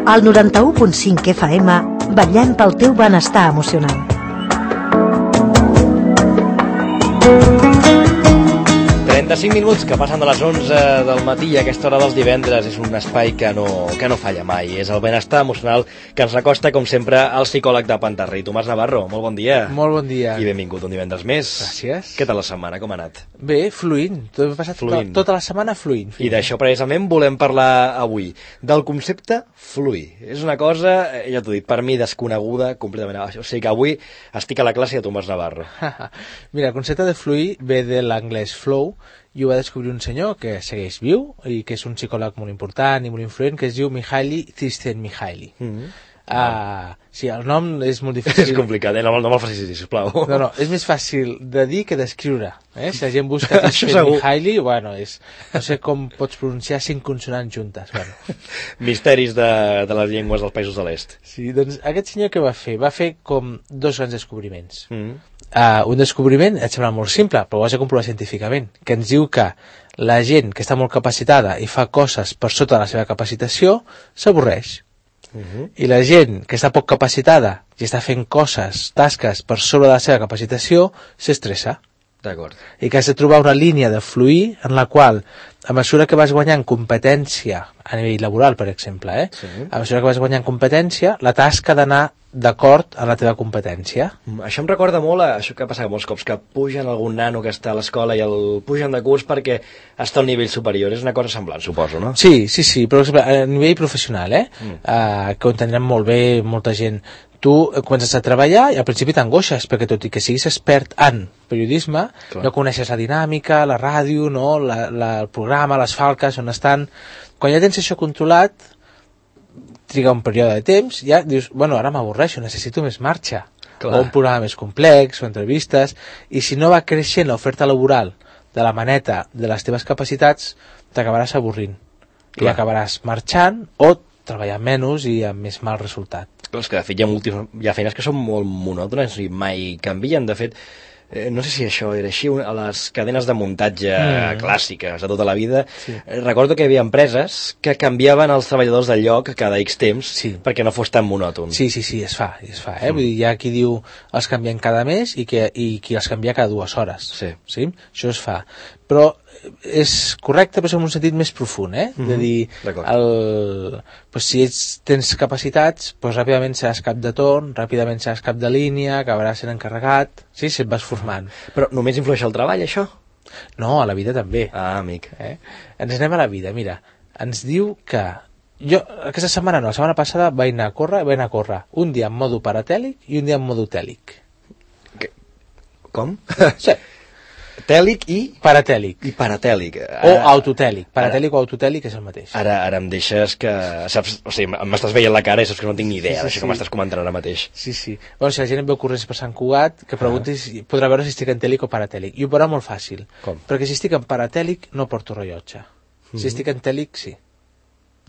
Al 91.5 FM, vetllem pel teu benestar emocional. Cinc minuts que passen de les 11 del matí i a aquesta hora dels divendres és un espai que no falla mai. És el benestar emocional que ens recosta, com sempre, al psicòleg de Pantarrey, Tomàs Navarro. Molt bon dia. Molt bon dia. I benvingut un divendres més. Gràcies. Què tal la setmana? Com ha anat? Bé, fluint. He passat tota la setmana fluint. I d'això precisament volem parlar avui. Del concepte fluir. És una cosa, ja t'ho he dit, per mi desconeguda completament. O sigui que avui estic a la classe de Tomàs Navarro. Mira, el concepte de fluir ve de l'anglès flow, i ho va descobrir un senyor que segueix viu i que és un psicòleg molt important i molt influent, que es diu Mihaly Csikszentmihalyi. Sí, el nom és molt difícil. És complicat, no me'l facis dir, sisplau. No, és més fàcil de dir que d'escriure. Si la gent busca Csikszentmihalyi, bueno, no sé com pots pronunciar 5 consonants juntes. Bueno. Misteris de les llengües dels països de l'est. Sí, doncs aquest senyor què va fer? Va fer com 2 grans descobriments. Un descobriment, et sembla molt simple, però ho has de comprovar científicament, que ens diu que la gent que està molt capacitada i fa coses per sota de la seva capacitació s'avorreix. I la gent que està poc capacitada i està fent coses, tasques per sobre de la seva capacitació, s'estressa. D'acord. I que has de trobar una línia de fluir en la qual, a mesura que vas guanyant competència a nivell laboral, per exemple, sí. A mesura que vas guanyant competència, la tasca ha d'anar d'acord amb la teva competència. Això em recorda molt a això que passa molts cops, que pugen algun nano que està a l'escola i el pugen de curs perquè està al nivell superior. És una cosa semblant, suposo, no? Sí, però a nivell professional, que ho entendrem molt bé molta gent. Tu comences a treballar i al principi t'angoixes, perquè tot i que siguis expert en periodisme, no coneixes la dinàmica, la ràdio, no? El programa, les falques, on estan. Quan ja tens això controlat, triga un període de temps, ja dius, bueno, ara m'avorreixo, necessito més marxa. O un programa més complex, o entrevistes, i si no va creixent l'oferta laboral de la maneta de les teves capacitats, t'acabaràs avorrint. I acabaràs marxant o treballant menys i amb més mal resultat. És que de fet hi ha feines que són molt monòtones i mai canvien. De fet, no sé si això era així, a les cadenes de muntatge clàssiques de tota la vida, recordo que hi havia empreses que canviaven els treballadors de lloc cada X temps perquè no fos tan monòton. Sí, es fa. Vull dir, hi ha qui diu els canvien cada mes i qui els canvia cada 2 hores. Sí? Això es fa. Però és correcte, però en un sentit més profund, de dir, si tens capacitats, ràpidament seràs cap de torn, ràpidament seràs cap de línia, acabaràs sent encarregat, si et vas formant. Però només influeix el treball, això? No, a la vida també. Amic. Ens anem a la vida, mira, ens diu que jo, aquesta setmana no, la setmana passada vaig anar a córrer un dia en modo paratèlic i un dia en modo tèlic. Com? Sí. Tèlic i? Paratèlic. I paratèlic. O autotèlic. Paratèlic o autotèlic és el mateix. Ara em deixes que... Saps, o sigui, m'estàs veient la cara i saps que no tinc ni idea d'això que m'estàs comentant ara mateix. Sí. Bueno, si la gent em veu corrents per Sant Cugat, que preguntis, podrà veure si estic en tèlic o paratèlic. I ho veurà molt fàcil. Com? Perquè si estic en paratèlic no porto rellotge. Si estic en tèlic, sí.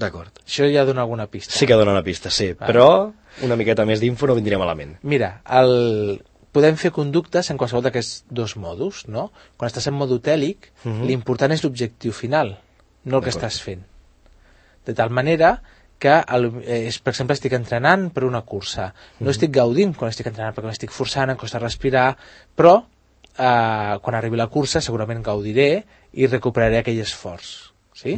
D'acord. Això ja dona alguna pista. Sí que dona una pista, sí. Però una miqueta més d'info no vindria malament. Mira, podem fer conductes en qualsevol d'aquests 2 modos, no? Quan estàs en modo tèlic, l'important és l'objectiu final, no el que estàs fent. De tal manera que, per exemple, estic entrenant per una cursa. No estic gaudint quan estic entrenant, perquè m'estic forçant, em costa respirar, però quan arribi la cursa segurament gaudiré i recuperaré aquell esforç. Sí?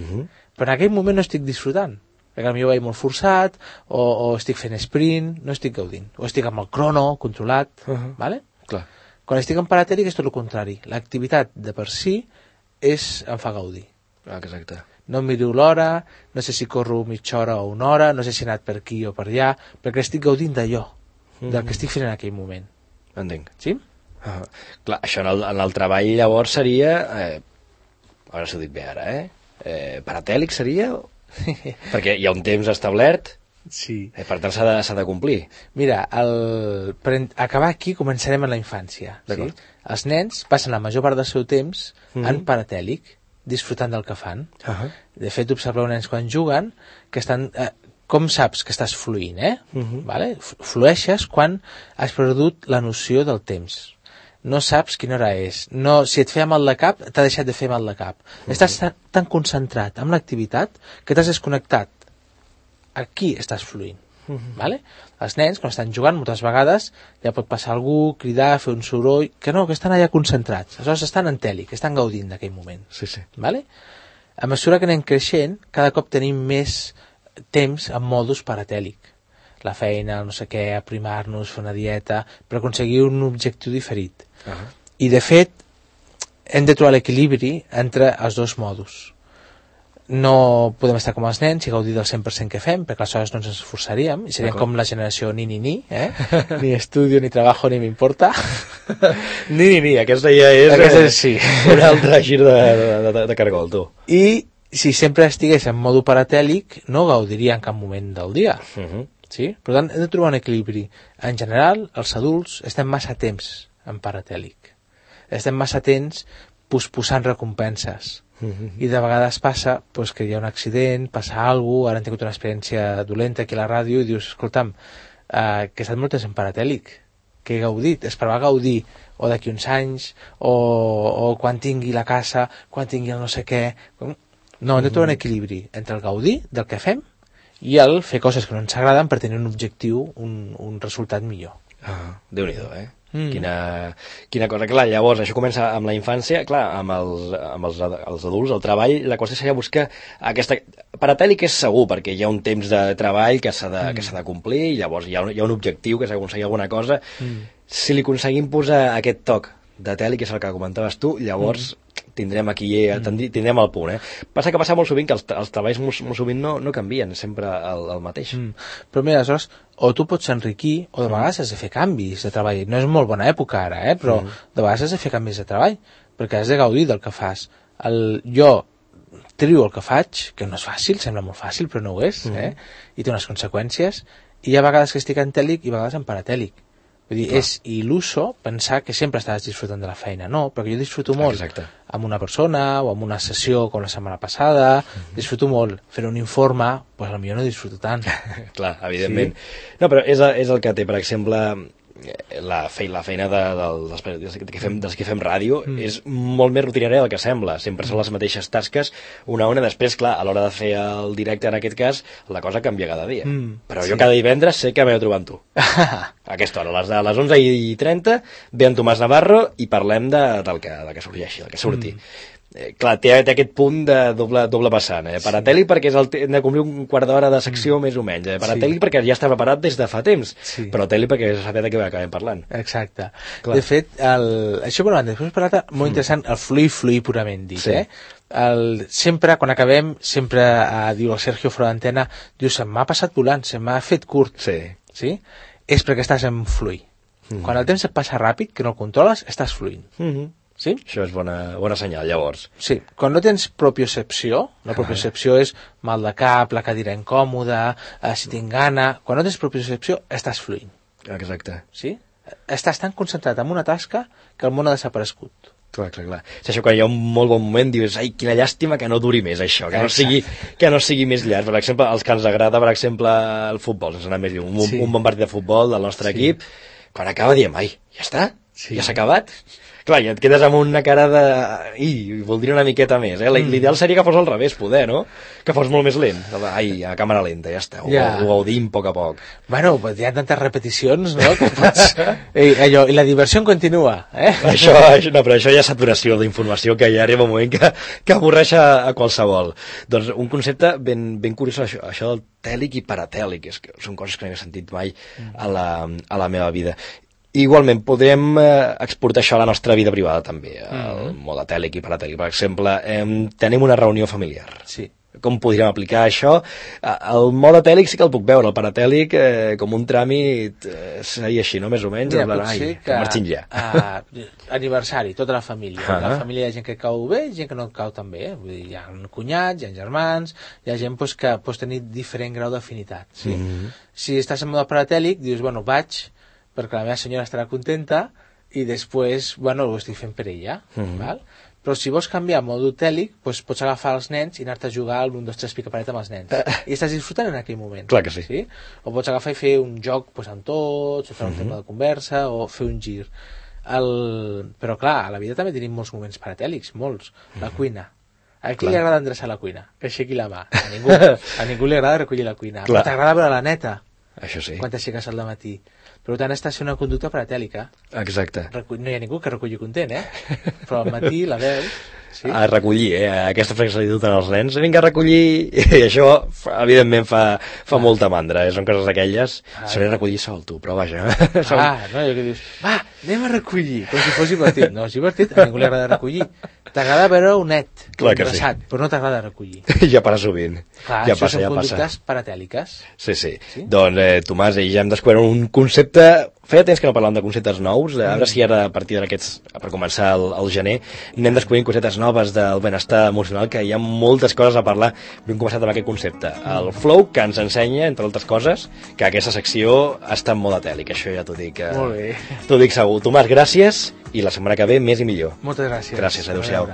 Però en aquell moment no estic disfrutant, perquè potser vaig molt forçat, o estic fent sprint, no estic gaudint, o estic amb el crono controlat, vale? Clar. Quan estic en paratèlic és tot el contrari, l'activitat de per si em fa gaudir. Exacte. No miro l'hora, no sé si corro mitja hora o 1 hora, no sé si he anat per aquí o per allà, perquè estic gaudint d'allò, del que estic fent en aquell moment. Entenc. Sí? Clar, això en el treball llavors seria, ara s'ho dic bé ara, paratèlic seria... perquè hi ha un temps establert, per tant s'ha de complir. Mira, per acabar aquí començarem en la infància. Sí? Els nens passen la major part del seu temps en paratèlic, disfrutant del que fan. De fet, observeu nens quan juguen que estan... Com saps que estàs fluint, vale? Flueixes quan has perdut la noció del temps. No saps quina hora és. No, si et feia mal de cap, t'ha deixat de fer mal de cap. Estàs tan concentrat amb l'activitat que t'has desconnectat aquí estàs fluint. Vale? Els nens, quan estan jugant, moltes vegades ja pot passar algú, cridar, fer un soroll, que no, que estan allà concentrats. Aleshores estan en tèlic, estan gaudint d'aquell moment. Sí. Vale? A mesura que anem creixent, cada cop tenim més temps en modus paratèlic. La feina, no sé què, aprimar-nos, fer una dieta, per aconseguir un objectiu diferit. I, de fet, hem de trobar l'equilibri entre els dos modus. No podem estar com els nens i gaudir del 100% que fem, perquè aleshores no ens esforçaríem i seríem com la generació ni, ni estudio, ni trabajo, ni m'importa. Ni, aquesta ja és sí. un altre gir de cargol, tu. I si sempre estigués en modo paratèlic, no gaudiria en cap moment del dia. Sí? Per tant, hem de trobar un equilibri. En general, els adults estem massa temps en paratèlic. Estem massa temps posposant recompenses. I de vegades passa que hi ha un accident, passa alguna cosa, ara hem tingut una experiència dolenta aquí a la ràdio i dius, escolta'm, que he estat molt temps en paratèlic, que he gaudit, esperava gaudir o d'aquí uns anys o quan tingui la casa, quan tingui el no sé què. No, hem de trobar un equilibri entre el gaudir del que fem i el fer coses que no ens agraden per tenir un objectiu, un resultat millor. Déu-n'hi-do, Quina cosa. Clar, llavors això comença amb la infància, clar, amb els adults, el treball, la qüestió seria buscar aquesta... Paratèlic és segur, perquè hi ha un temps de treball que s'ha de complir, i llavors hi ha un objectiu, que s'ha d'aconseguir alguna cosa. Si li aconseguim posar aquest toc de tèlic, que és el que comentaves tu, llavors tindrem aquí, tindrem el punt. Passa molt sovint que els treballs molt sovint no canvien, sempre el mateix. Però mira, aleshores, o tu pots enriquir, o de vegades has de fer canvis de treball. No és molt bona època ara, però de vegades has de fer canvis de treball, perquè has de gaudir del que fas. Jo trio el que faig, que no és fàcil, sembla molt fàcil, però no ho és, i té unes conseqüències, i hi ha vegades que estic en tèlic i vegades en paratèlic. Vull dir, és il·luso pensar que sempre estàs disfrutant de la feina. No, perquè jo disfruto molt amb una persona o amb una sessió com la setmana passada, disfruto molt. Fer un informe, doncs potser no disfruto tant. Clar, evidentment. Sí. No, però és el que té, per exemple, la feina dels que fem ràdio és molt més rutinària del que sembla. Sempre són les mateixes tasques, una. Després, clar, a l'hora de fer el directe, en aquest cas, la cosa canvia cada dia. Però jo cada divendres sé que m'he de trobar amb tu. A aquesta hora, a les 11:30, ve en Tomàs Navarro i parlem del que sorgeixi, del que surti. Clar, té aquest punt de doble vessant. Paratèlic perquè hem de complir un quart d'hora de secció més o menys. Paratèlic perquè ja està preparat des de fa temps, però tèlic perquè ja sabem de què acabem parlant. Exacte. Clar. De fet, això per una banda, després per l'altra, molt interessant, el fluir purament dit. Sempre, quan acabem, sempre diu el Sergio fora d'antena, diu, se m'ha passat volant, se m'ha fet curt. Sí? És perquè estàs en fluir. Quan el temps et passa ràpid, que no el controles, estàs fluint. Sí? Això és bona senyal, llavors. Sí, quan no tens propiocepció, la propiocepció és mal de cap, la cadira incòmoda, si tinc gana... Quan no tens propiocepció, estàs fluint. Exacte. Sí? Estàs tan concentrat en una tasca que el món ha desaparegut. Clar. És això, quan hi ha un molt bon moment, dius, ai, quina llàstima que no duri més això, que no sigui més llarg. Per exemple, els que ens agrada, per exemple, el futbol, sense anar més lluny, un bon partit de futbol del nostre equip, quan acaba diem, ai, ja està? Ja s'ha acabat? Clar, i et quedes amb una cara de... voldria una miqueta més, L'ideal seria que fos al revés, poder, no? Que fos molt més lent. Ai, a càmera lenta, ja està. Ho gaudim a poc a poc. Bueno, hi ha tantes repeticions, no? Que pots... I la diversió continua, No, però això ja és saturació d'informació, que ja arriba un moment que avorreix a qualsevol. Doncs un concepte ben curiós, això del tèlic i paratèlic, són coses que no he sentit mai a la meva vida. Igualment, podem exportar això a la nostra vida privada també, el mode tèlic i paratèlic. Per exemple, tenim una reunió familiar. Sí. Com podríem aplicar això? El mode tèlic sí que el puc veure, el paratèlic com un tràmit seria així, no? Més o menys. Mira, pot ser que marxin ja. Aniversari, tota la família. A la família hi ha gent que cau bé i gent que no cau tan bé. Vull dir, hi ha cunyats, hi ha germans, hi ha gent que pots tenir diferent grau d'afinitat. Sí? Si estàs en mode paratèlic, dius, bueno, vaig perquè la meva senyora estarà contenta i després, ho estic fent per ella. Val? Però si vols canviar a mode tèlic, doncs pots agafar els nens i anar-te a jugar al 1, 2, 3 pica-paret amb els nens. I estàs disfrutant en aquell moment. Clar que sí. O pots agafar i fer un joc amb tots, o fer un tema de conversa, o fer un gir. Però clar, a la vida també tenim molts moments paratèlics, molts. La cuina. A qui li agrada endreçar la cuina? Que aixequi la mà. A ningú li agrada recollir la cuina. Però t'agrada veure la neta. Això sí. Quan t'aixeques al matí. Per tant, està sent una conducta pretèlica. Exacte. No hi ha ningú que reculli content, Però al matí la veus... Sí? A recollir, aquesta frase se li duten als nens, vinga a recollir, i això evidentment fa molta mandra, són coses d'aquelles, sabré recollir sol tu, però vaja. No, jo que dius, va, anem a recollir, com si fos divertit. No, és divertit, a ningú li agrada recollir. T'agrada veure un net, interessat, però no t'agrada recollir. Ja passa sovint. Clar, ja això passa, són conductes paratèliques. Sí. Doncs, Tomàs, ja hem descobert un concepte. Feia temps que no parlàvem de conceptes nous, a veure si ara a partir d'aquests, per començar el gener, anem descobrint conceptes noves del benestar emocional, que hi ha moltes coses a parlar. Hem començat amb aquest concepte, el flow, que ens ensenya, entre altres coses, que aquesta secció està en mode tèl·lic, això ja t'ho dic. Molt bé. T'ho dic segur. Tomàs, gràcies, i la setmana que ve més i millor. Moltes gràcies. Gràcies, adéu-siau.